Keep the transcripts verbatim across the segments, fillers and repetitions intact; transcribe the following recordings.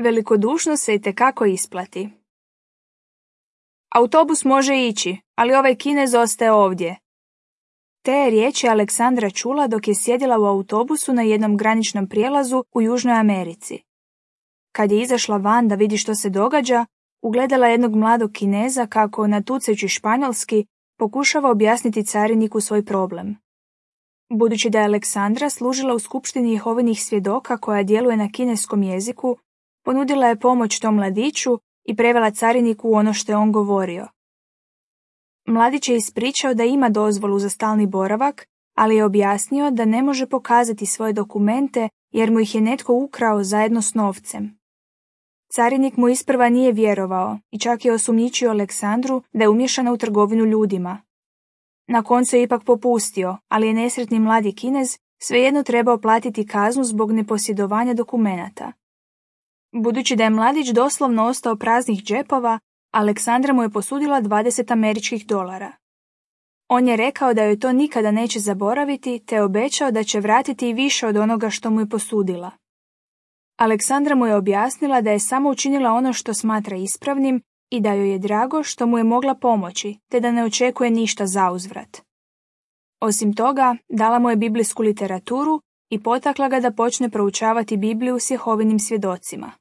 Velikodušnost se itekako isplati. Autobus može ići, ali ovaj Kinez ostaje ovdje. Te je riječi Aleksandra čula dok je sjedila u autobusu na jednom graničnom prijelazu u Južnoj Americi. Kad je izašla van da vidi što se događa, ugledala jednog mladog Kineza kako, natucajući španjolski, pokušava objasniti cariniku svoj problem. Budući da je Aleksandra služila u skupštini Jehovinih svjedoka koja djeluje na kineskom jeziku, ponudila je pomoć tom mladiću i prevela cariniku ono što je on govorio. Mladić je ispričao da ima dozvolu za stalni boravak, ali je objasnio da ne može pokazati svoje dokumente jer mu ih je netko ukrao zajedno s novcem. Carinik mu isprva nije vjerovao i čak je osumnjičio Aleksandru da je umiješana u trgovinu ljudima. Na koncu je ipak popustio, ali je nesretni mladi Kinez svejedno trebao platiti kaznu zbog neposjedovanja dokumenata. Budući da je mladić doslovno ostao praznih džepova, Aleksandra mu je posudila dvadeset američkih dolara. On je rekao da joj to nikada neće zaboraviti, te obećao da će vratiti i više od onoga što mu je posudila. Aleksandra mu je objasnila da je samo učinila ono što smatra ispravnim i da joj je drago što mu je mogla pomoći, te da ne očekuje ništa zauzvrat. Osim toga, dala mu je biblijsku literaturu i potakla ga da počne proučavati Bibliju s Jehovinim svjedocima.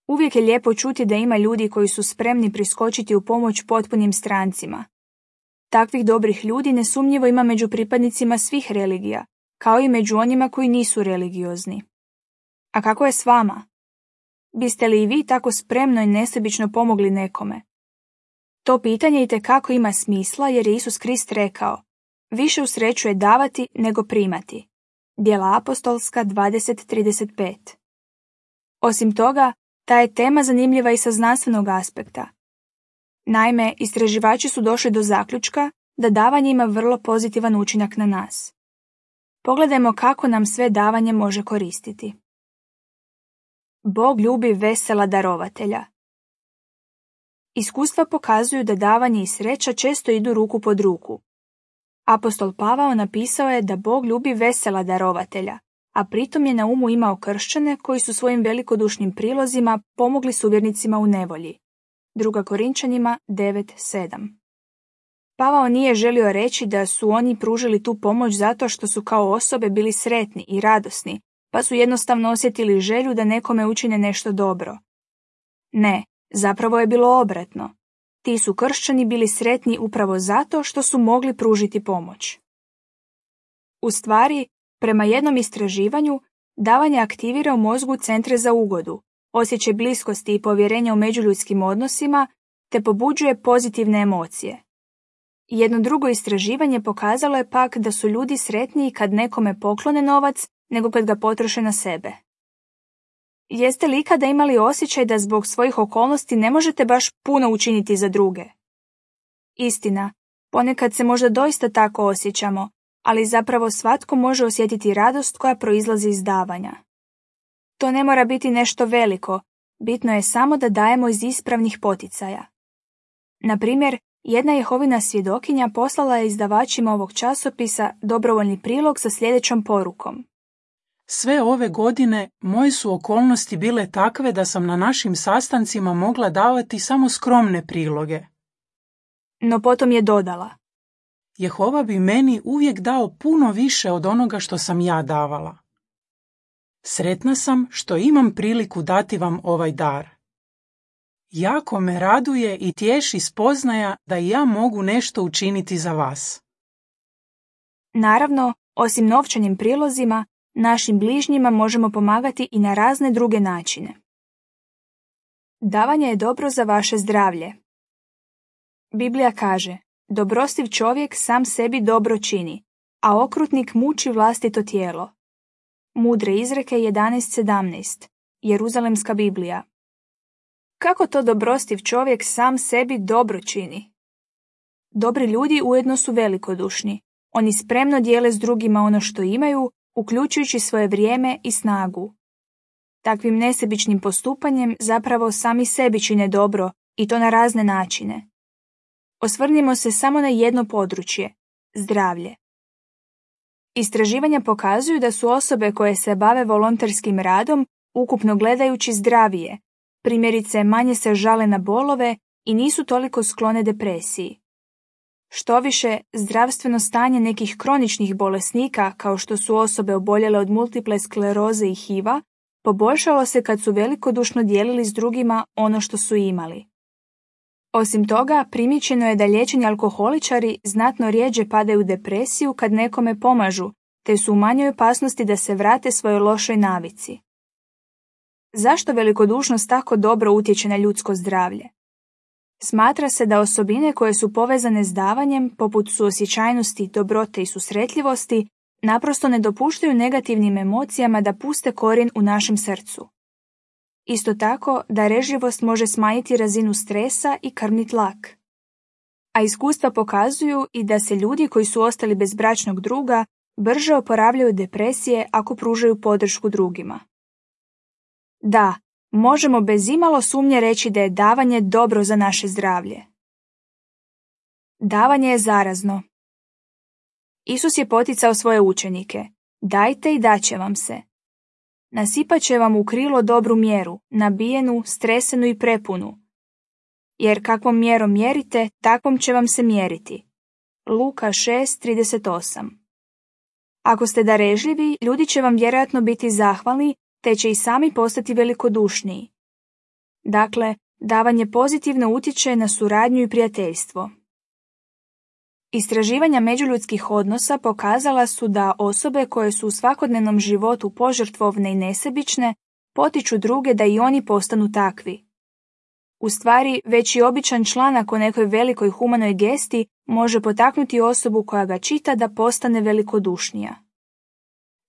Uvijek je lijepo čuti da ima ljudi koji su spremni priskočiti u pomoć potpunim strancima. Takvih dobrih ljudi nesumnjivo ima među pripadnicima svih religija, kao i među onima koji nisu religiozni. A kako je s vama? Biste li i vi tako spremno i nesebično pomogli nekome? To pitanje itekako ima smisla jer je Isus Krist rekao: više usrećuje davati nego primati. Djela apostolska dvadeset trideset pet. Osim toga, ta je tema zanimljiva i sa znanstvenog aspekta. Naime, istraživači su došli do zaključka da davanje ima vrlo pozitivan učinak na nas. Pogledajmo kako nam sve davanje može koristiti. Bog ljubi vesela darovatelja. Iskustva pokazuju da davanje i sreća često idu ruku pod ruku. Apostol Pavao napisao je da Bog ljubi vesela darovatelja, a pritom je na umu imao kršćane koji su svojim velikodušnim prilozima pomogli suvjernicima u nevolji. Druga Korinčanima devet sedam. Pavao nije želio reći da su oni pružili tu pomoć zato što su kao osobe bili sretni i radosni, pa su jednostavno osjetili želju da nekome učine nešto dobro. Ne, zapravo je bilo obratno. Ti su kršćani bili sretni upravo zato što su mogli pružiti pomoć. U stvari, prema jednom istraživanju, davanje aktivira u mozgu centre za ugodu, osjećaj bliskosti i povjerenja u međuljudskim odnosima, te pobuđuje pozitivne emocije. Jedno drugo istraživanje pokazalo je pak da su ljudi sretniji kad nekome poklone novac nego kad ga potroše na sebe. Jeste li ikada imali osjećaj da zbog svojih okolnosti ne možete baš puno učiniti za druge? Istina, ponekad se možda doista tako osjećamo, ali zapravo svatko može osjetiti radost koja proizlazi iz davanja. To ne mora biti nešto veliko, bitno je samo da dajemo iz ispravnih poticaja. Na primjer, jedna Jehovina svjedokinja poslala je izdavačima ovog časopisa dobrovoljni prilog sa sljedećom porukom. Sve ove godine moje su okolnosti bile takve da sam na našim sastancima mogla davati samo skromne priloge. No potom je dodala: Jehova bi meni uvijek dao puno više od onoga što sam ja davala. Sretna sam što imam priliku dati vam ovaj dar. Jako me raduje i tješi spoznaja da i ja mogu nešto učiniti za vas. Naravno, osim novčanim prilozima, našim bližnjima možemo pomagati i na razne druge načine. Davanje je dobro za vaše zdravlje. Biblija kaže: dobrostiv čovjek sam sebi dobro čini, a okrutnik muči vlastito tijelo. Mudre izreke jedanaest sedamnaest. Jeruzalemska Biblija. Kako to dobrostiv čovjek sam sebi dobro čini? Dobri ljudi ujedno su velikodušni. Oni spremno dijele s drugima ono što imaju, uključujući svoje vrijeme i snagu. Takvim nesebičnim postupanjem zapravo sami sebi čine dobro, i to na razne načine. Osvrnimo se samo na jedno područje – zdravlje. Istraživanja pokazuju da su osobe koje se bave volonterskim radom ukupno gledajući zdravije, primjerice manje se žale na bolove i nisu toliko sklone depresiji. Štoviše, zdravstveno stanje nekih kroničnih bolesnika, kao što su osobe oboljele od multiple skleroze i H I V-a, poboljšalo se kad su velikodušno dijelili s drugima ono što su imali. Osim toga, primijećeno je da liječeni alkoholičari znatno rjeđe padaju u depresiju kad nekome pomažu, te su u manjoj opasnosti da se vrate svojoj lošoj navici. Zašto velikodušnost tako dobro utječe na ljudsko zdravlje? Smatra se da osobine koje su povezane s davanjem, poput suosjećajnosti, dobrote i susretljivosti, naprosto ne dopuštaju negativnim emocijama da puste korijen u našem srcu. Isto tako, darežljivost može smanjiti razinu stresa i krvni tlak. A iskustva pokazuju i da se ljudi koji su ostali bez bračnog druga brže oporavljaju od depresije ako pružaju podršku drugima. Da, možemo bez imalo sumnje reći da je davanje dobro za naše zdravlje. Davanje je zarazno. Isus je poticao svoje učenike: dajte i daće vam se. Nasipat će vam u krilo dobru mjeru, nabijenu, stresenu i prepunu. Jer kakvom mjerom mjerite, takvom će vam se mjeriti. Luka šest trideset osam. Ako ste darežljivi, ljudi će vam vjerojatno biti zahvalni, te će i sami postati velikodušniji. Dakle, davanje pozitivno utječe na suradnju i prijateljstvo. Istraživanja međuljudskih odnosa pokazala su da osobe koje su u svakodnevnom životu požrtvovne i nesebične potiču druge da i oni postanu takvi. U stvari, već i običan članak o nekoj velikoj humanoj gesti može potaknuti osobu koja ga čita da postane velikodušnija.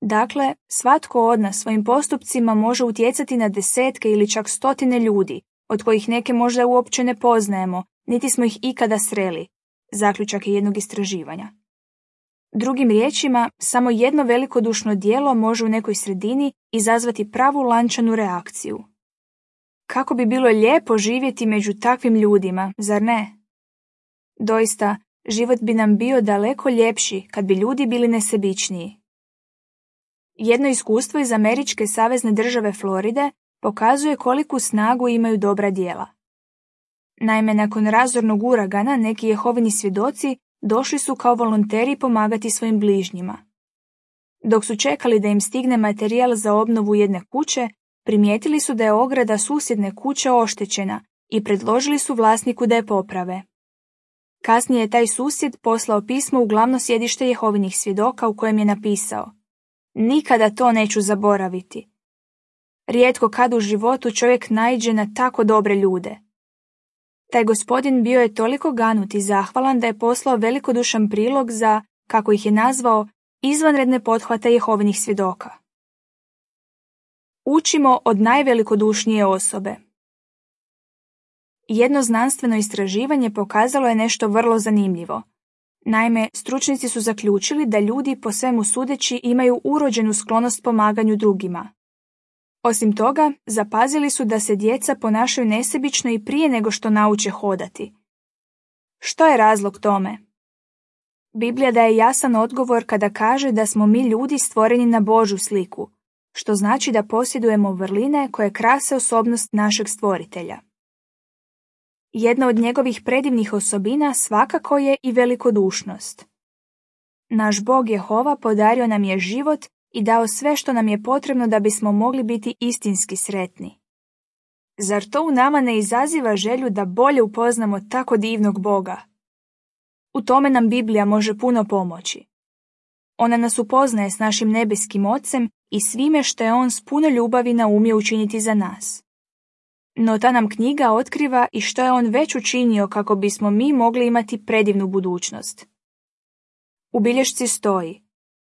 Dakle, svatko od nas svojim postupcima može utjecati na desetke ili čak stotine ljudi, od kojih neke možda uopće ne poznajemo, niti smo ih ikada sreli. Zaključak je jednog istraživanja. Drugim riječima, samo jedno velikodušno djelo može u nekoj sredini izazvati pravu lančanu reakciju. Kako bi bilo lijepo živjeti među takvim ljudima, zar ne? Doista, život bi nam bio daleko ljepši kad bi ljudi bili nesebičniji. Jedno iskustvo iz američke savezne države Floride pokazuje koliku snagu imaju dobra djela. Naime, nakon razornog uragana neki Jehovini svjedoci došli su kao volonteri pomagati svojim bližnjima. Dok su čekali da im stigne materijal za obnovu jedne kuće, primijetili su da je ograda susjedne kuće oštećena i predložili su vlasniku da je poprave. Kasnije je taj susjed poslao pismo u glavno sjedište Jehovinih svjedoka u kojem je napisao: nikada to neću zaboraviti. Rijetko kad u životu čovjek naiđe na tako dobre ljude. Taj gospodin bio je toliko ganut i zahvalan da je poslao velikodušan prilog za, kako ih je nazvao, izvanredne pothvate Jehovinih svjedoka. Učimo od najvelikodušnije osobe. Jedno znanstveno istraživanje pokazalo je nešto vrlo zanimljivo. Naime, stručnjaci su zaključili da ljudi po svemu sudeći imaju urođenu sklonost pomaganju drugima. Osim toga, zapazili su da se djeca ponašaju nesebično i prije nego što nauče hodati. Što je razlog tome? Biblija daje jasan odgovor kada kaže da smo mi ljudi stvoreni na Božju sliku, što znači da posjedujemo vrline koje krase osobnost našeg stvoritelja. Jedna od njegovih predivnih osobina svakako je i velikodušnost. Naš Bog Jehova podario nam je život i dao sve što nam je potrebno da bismo mogli biti istinski sretni. Zar to u nama ne izaziva želju da bolje upoznamo tako divnog Boga? U tome nam Biblija može puno pomoći. Ona nas upoznaje s našim nebeskim Ocem i svime što je On s puno ljubavi naumio učiniti za nas. No ta nam knjiga otkriva i što je On već učinio kako bismo mi mogli imati predivnu budućnost. U bilješci stoji: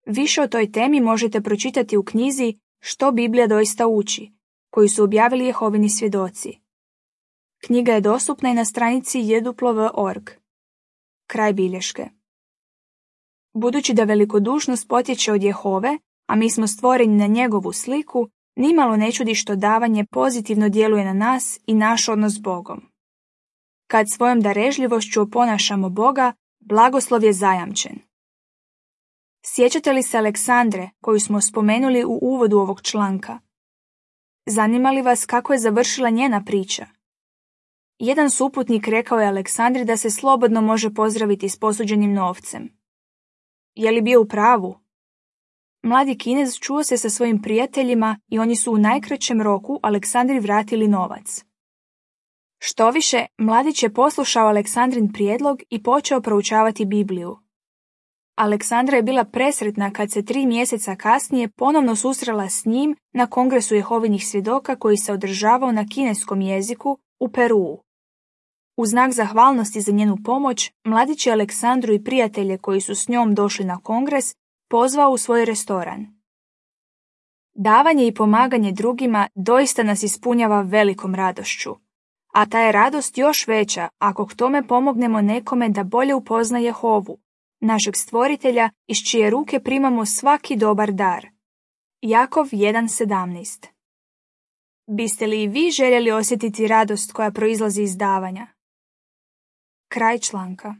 više o toj temi možete pročitati u knjizi Što Biblija doista uči, koju su objavili Jehovini svjedoci. Knjiga je dostupna i na stranici j w w dot org. Kraj bilješke. Budući da velikodušnost potječe od Jehove, a mi smo stvoreni na njegovu sliku, nimalo ne čudi što davanje pozitivno djeluje na nas i naš odnos s Bogom. Kad svojom darežljivošću oponašamo Boga, blagoslov je zajamčen. Sjećate li se Aleksandre, koju smo spomenuli u uvodu ovog članka? Zanima li vas kako je završila njena priča? Jedan suputnik rekao je Aleksandri da se slobodno može pozdraviti s posuđenim novcem. Je li bio u pravu? Mladi Kinez čuo se sa svojim prijateljima i oni su u najkraćem roku Aleksandri vratili novac. Štoviše, mladić je poslušao Aleksandrin prijedlog i počeo proučavati Bibliju. Aleksandra je bila presretna kad se tri mjeseca kasnije ponovno susrela s njim na Kongresu Jehovinih svjedoka koji se održavao na kineskom jeziku u Peruu. U znak zahvalnosti za njenu pomoć, mladić je Aleksandru i prijatelje koji su s njom došli na kongres pozvao u svoj restoran. Davanje i pomaganje drugima doista nas ispunjava velikom radošću, a ta je radost još veća ako k tome pomognemo nekome da bolje upozna Jehovu, našeg stvoritelja iz čije ruke primamo svaki dobar dar. Jakov jedan sedamnaest. Biste li i vi željeli osjetiti radost koja proizlazi iz davanja? Kraj članka.